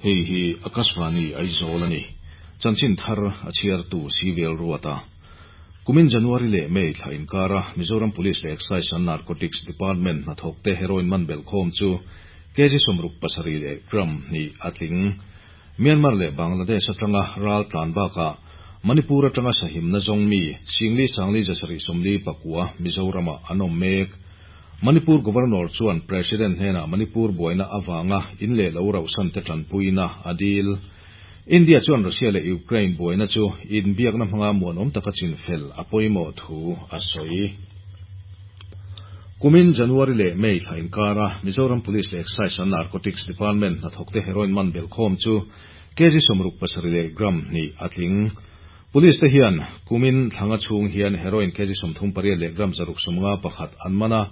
Hei hi Akashvani Aizawl a ni. Chanchin thar a chhiartu Civil Ruata. Kumin January leh May thla inkara Mizoram Police leh Excise and Narcotics Department hnathawkte heroin man belhkhawm chu kg 67 leh gram hnih a tling. Myanmar leh Bangladesh atanga ral tlan bakah Manipur atanga sahimna zawng mi Singli Sangli 749 Mizoramah an awm mek. Manipur Governor chuan President hnenah Manipur buaina avanga in leh lo rauhsan te tanpuina a dil. India chuan Russia leh Ukraine buaina chu inbiakna hmanga muanawm taka chinfel a pawimawh thu a sawi. Kumin January leh May thla inkara Mizoram Police leh Excise and Narcotics Department hnathawkte heroin man belhkhawm chu kg 67 leh gram hnih a tling. Police te hian kumin thlanga chhung hian heroin kg 38 leh gram 651 an man a.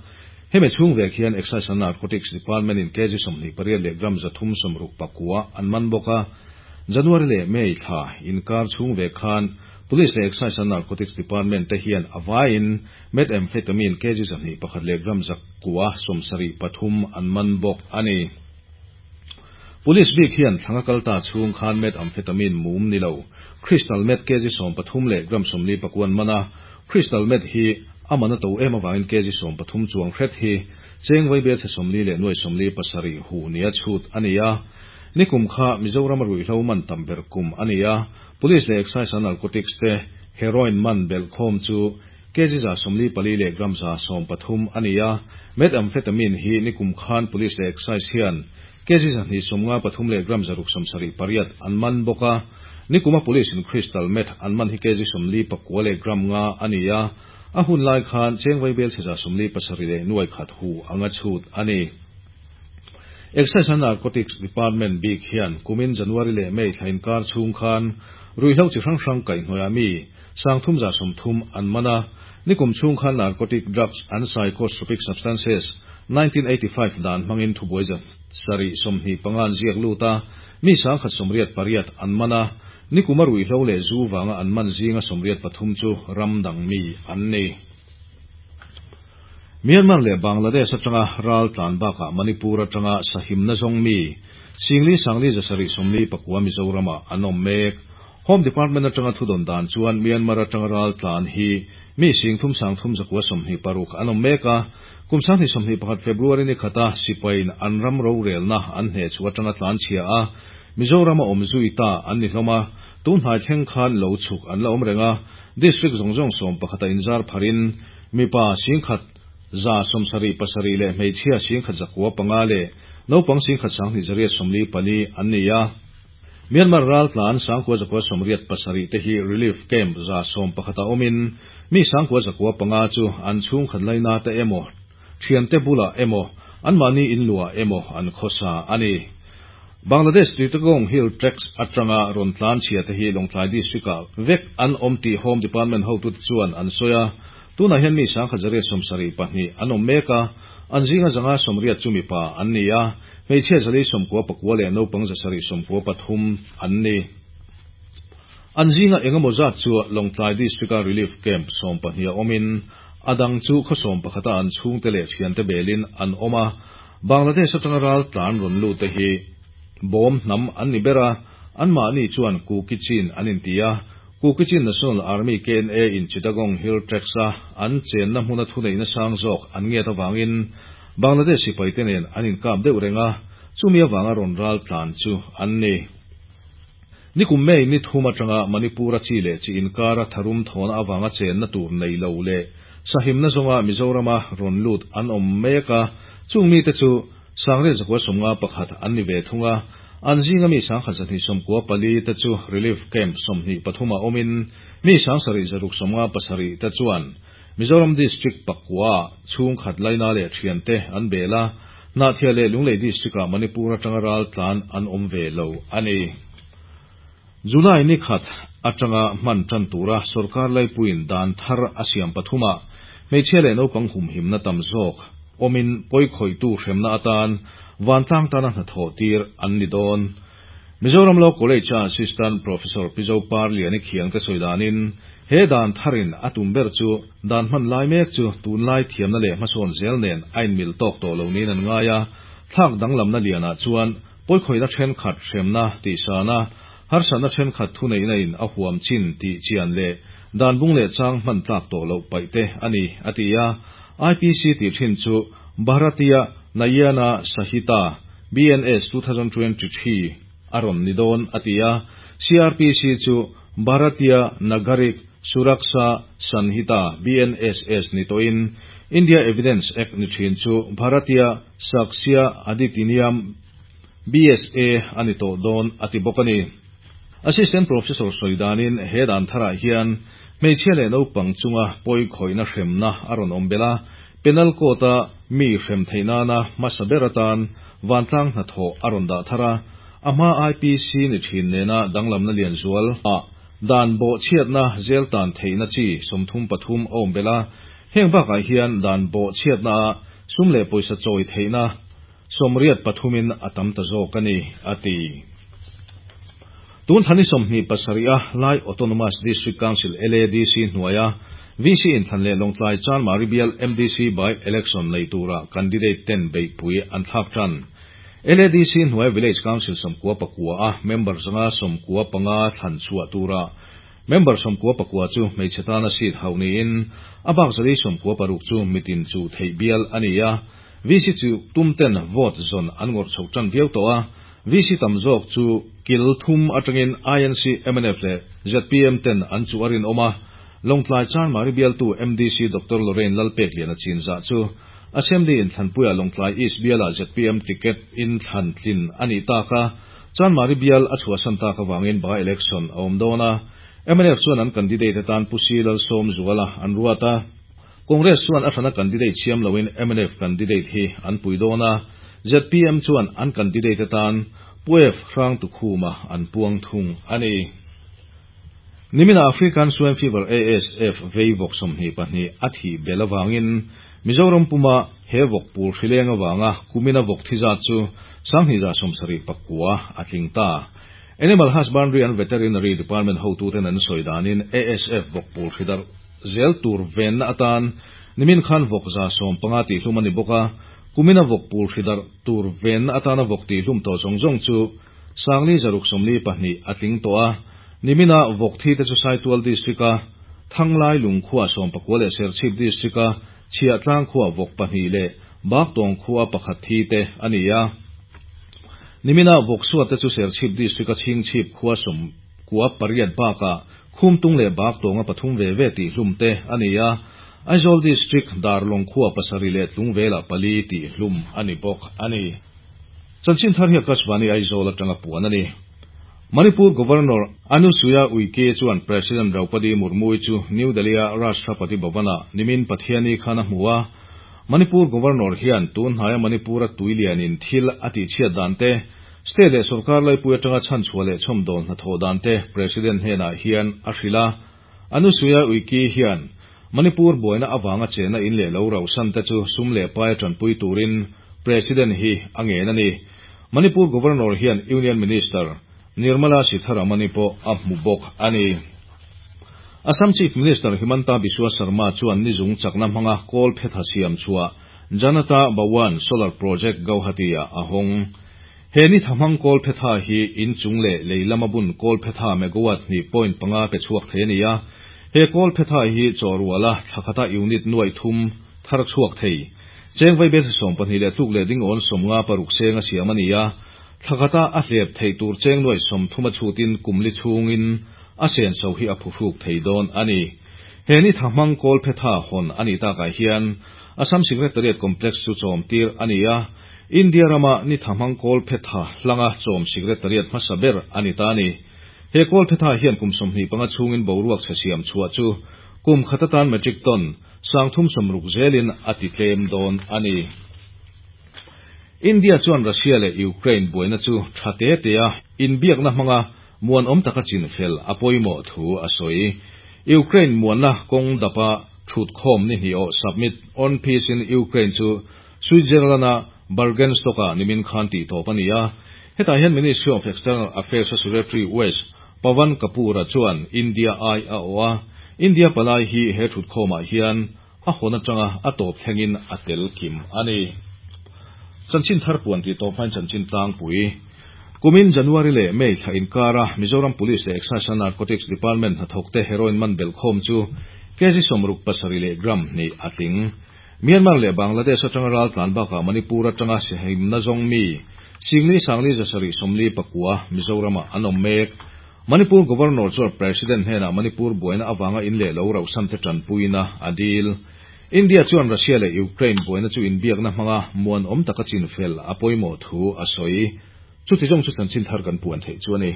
Hemi chhung vek hian Excise and Narcotics Department in kg 28 leh gram 369 an man bawk a. January leh May thla inkar chhung vek khan Police leh Excise and Narcotics Department te hian avaiin methamphetamine kg 201 leh gram 973 an man bawk a ni. Police bik hian thlanga kalta chhung khan methamphetamine mum ni lo crystal meth kg 13 leh gram 49 an man a. Crystal meth hi amana to em awangin kg 13 chuang hret hi cheng vai bel chhe 40 leh nuai 47 hu nia chhut ani a. Nikum kha Mizoram ruihhlo man tam ber kum ani a. Police leh Excise and Narcotics te heroin man belhkhawm chu kg 144 leh gram 113 ani a. Methamphetamine hi nikum khan Police leh Excise hian kg 253 leh gram 678 an man bawk a. Nikuma Police in crystal meth an man hi kg 49 leh gram nga ani a. A hun lai khan cheng vai bel chhe 47 leh nuai khat hu anga chhut ani. Excise and Narcotics Department bik hian kumin January leh May thla inkar chhung khan ruihhlo chi hrang hrang kaihhnawih mi 330 an man a. Nikum chhung khan Narcotic Drugs and Psychotropic Substances 1985 dan hmangin thubuai 725 an ziak lut a. Mi 188 an man a. Nikuma ruihhlo leh zu wanga an man zinga 83 chu ramdang mi an ni. Myanmar leh Bangladesh atanga ral tlan bakah Manipur atanga sahimna zawng mi Singli Sangli 779 Mizorama an awm mek. Home Department atanga thudon dan chuan Myanmar atanga ral tlan hi mi sing thum sang thum zakua 26 an awm mek a. Kum 2021 February ni khata sipain an ram ro relna an hne chu atanga tlan chhia a. Mizorama awm zui ta an ni hlawm a. Tun hnai thleng khan lo chhuk an la awm reng a. District zawng zawng 11 inzar pharin mipa 1,077 leh hmeichhia 1,905 leh naupang 1,284 an ni a. Myanmar ral tlan 9,987 te hi relief camp 111 a awmin mi 9,905 chu an chhung khat laina te emaw thian te bula emaw an mahni in lua emaw an khawsa ani. Bangladesh Chittagong Hill Tracts atanga rawn tlan chhia te hi Lawngtlai District ah vek an awm tih Home Department hotu te chuan an sawi a. Tunah hian mi 1,172 an awm mek a. An zinga 180 chu mipa an ni a. Hmeichhia 499 leh naupang 793 an ni. An zinga engemaw zat chu Lawngtlai District a Relief Camp 12 a awmin adang chu khaw 11 a an chhungte leh thiante belin an awm a. Bangladesh atanga ral tlan rawn lut te hi bawm hnam an ni ber a. An mahni chuan Kuki-Chin an inti a. Kuki-Chin National Army KNA in Chittagong Hill Tracts a an chenna hmuna thuneihna sang zawk an ngiat awangin Bangladesh sipai te nen an inkap deuh reng a. Chumi awanga rawn ral tlan chu an ni. Nikum May ni thum atanga Manipur a chi leh chi inkara tharum thawna awanga chenna tur nei lo leh sahimna zawnga Mizorama rawn lut an awm mek a. Chung mi te chu 9,951 an ni ve thung a. An zinga mi 1,294 te chu Relief Camp 23 a awmin mi 7,657 te chuan Mizoram District pakua chhung khat laina leh thian te an bel a. Hnahthial leh Lunglei District ah Manipur atanga ral tlan an awm ve lo ani. July ni khat atanga hman tan tura sarkar laipuin dan thar a siam pathuma hmeichhia leh naupang humhimna tam zawk awmin pawikhawihtu hremna atan vantlang tana hnathawh tir an ni dawn. Mizoram Law College a Assistant Professor Pizo Parliani khiang te sawi danin he dan tharin a tum ber chu dan hman lai mek chu tun lai thiamna leh hmasawn zel nen a inmil tawk tawh lo niin an ngai a. Thlak danglamna lianah chuan pawikhawihna thenkhat hremna tihsan a, harsatna thenkhat thuneihna in a huam chin tih chian leh dan bung leh chang hman tlak tawh loh paih te a ni, a ti a. IPC tih thin chu Bharatiya Nayana Sahita, BNS, 2023 a rawn ni dawn, a ti a. CrPC chu Bharatiya Nagarik Suraksha Sanhita, BNSS, ni tawhin India Evidence Act ni thin chu Bharatiya Sakshya Adhitiniyam, BSA, a ni tawh dawn, a ti bawk a ni. Assistant Professor sawi danin he dan tharah hian hmeichhia leh naupang chunga pawi khawihna hremna a rawn awm belh a, Penal Code-a mi hrem theih nana hmasa ber atan vantlang hnathawh a rawn dah thar a, a hma IPC ni thin nena danglamna lian zual ah dan bawhchhiatna zel tan theihna chi 33 a awm belh a, heng bakah hian dan bawhchhiatna ah sum leh pawisa chawi theihna 83 in a tam ta zawk a ni, a ti. Tun thani 27 a Lai Autonomous District Council, LADC, hnuaia VC inthlan leh Lawngtlai Chanmari bial MDC by election nei tura candidate ten beihpui an thlak tan. LADC hnuai Village Council 99 a member 195 thlan chhuah tura member 99 chu hmeichhe tana seat hauh niin a bak 196 chu mitin chu theih bial a ni a. VC chu tumten vote zawn an ngawrh chho tan viau tawh a, VC tam zawk chu kil thum atangin INC, MNF leh ZPM ten an chu a rinawm a. Lawngtlai Chanmari bialtu MDC Doctor Lorraine Lalpek Liana Chinzah chu Assembly inthlanpuia Lawngtlai East biala ZPM ticket inthlan tlin a nih tak a, Chanmari bial a chhuahsan tak avangin by election a awm dawn a. MNF chuan an candidate atan Pu C Lalsawmzuala an ruat a. Congress chuan a hrana candidate siam loin MNF candidate hi an pui dawn a, ZPM chuan an candidate atan Pu F Hrangtukhuma an puang thung a ni. Nimina African Swine Fever, ASF, vei vawk 22 a thih belh avangin Mizoram puma he vawk pul hrileng awanga kumina vawk thi zat chu 2179 a tling ta. Animal Husbandry and Veterinary Department hotuten an sawi danin ASF vawk pul hridar zel tur venna atan nimin khan vawk 115 tih hlum a ni bawk a. Kumina vawk pul hridar tur venna atana vawk tih hlum tawh zawng zawng chu 642 a tling tawh a. Nimina vawk thi te chu Saitual District a Thanglai Lungkhua 19 leh Serchhip District a Chhiahtlang khua vawk 2 leh Baktawng khua 1 thi te a ni a. Nimina vawk suat te chu Serchhip District a Chhingchhip khua 98 bakah Khumtung leh Baktawnga 3 ve ve tih hlum te a ni a. Aizawl District Darlawng khua 7 leh Tlungvela 4 tih hlum a ni bawk a ni. Chanchin thar hi Akashvani Aizawl atanga puan a ni. Manipur Governor Anusuya Uike chuan President Draupadi Murmu chu New Delhi a Rashtrapati Bhavana nimin Pathiani khan a hmu a. Manipur Governor hian tun hnaia Manipur a tuilianin thil a tih chhiat dan te, state leh sarkar laipui atanga chhan chhuah leh chhawm dawn hnathawh dan te President hnenah hian a hrilh a. Anusuya Uike hian Manipur buaina awanga chena in leh lo rauh san te chu sum leh pai tanpui turin President hi a ngen a ni. Manipur Governor hian Union Minister Nirmala Sitharaman pawh a hmu bawk a ni. Assam Chief Minister Himanta Biswa Sarma chuan nizung chakna hmanga kawl phetha siam chhuah Janata Bhawan Solar Project Guwahati a a hawng. He ni thamang kawl phetha hi in chung leh leilama bun kawl phetha megawatt 2.5 pe chhuak thei a ni a. He kawl phetha hi chawruala thlakhata unit 300 thar chhuak thei. Cheng vai bel 12 leh tluk leh ding awn 56 seng a siam a ni a. Thlakhata a hlep thei tur cheng 30 a chutin kumli chungin a sen so hi a phuhruk thei dawn a ni. He ni thamang kawl phetha hon ani takah hian Assam Secretariat Complex chu chawm tir a ni a. India rama ni thamang kawl phetha hlanga chawm Secretariat hmasa ber ani ta ni. He kawl phetha hian kum 25 chungin boruak chhe siam chhuah chu kum khatatan metric ton 360 zelin a ti tlem dawn a ni. India chuan Russia leh Ukraine buaina chu thate te a inbiakna hmanga muan awm taka chin fel a pawimawh thu a sawi. Ukraine muanna kawng dapa thut khawm ni hnih aw Summit on Peace in Ukraine chu Switzerland-a Bürgenstock-a nimin khan tih tawp a ni a. Hetah hian Ministry of External Affairs Secretary West Pawan Kapoor a chuan India ai a aw a. India palai hi he thut khawmah hian a hawn atanga a tawp thlengin a tel kim a ni. Chanchin thar puan tih tawp hmain chanchin tlangpui. Kumin January leh May thla inkara Mizoram Police leh Excise and Narcotics Department hnathawkte heroin man belhkhawm chu kg 67 leh gram hnih a tling. Myanmar leh Bangladesh atanga raltlan bakah Manipur atanga sihimna zawng mi 4 749 Mizoramah an awm mek. Manipur Governor chuan President hnenah Manipur buaina avanga in leh lo rauhsan te tanpuina a dil. India chuan Russia leh Ukraine buaina chu inbiakna hmanga muan awm taka chin fel a pawimawh thu a sawi. Chuti zawng chu chanchin thar kan puan theih chu a ni.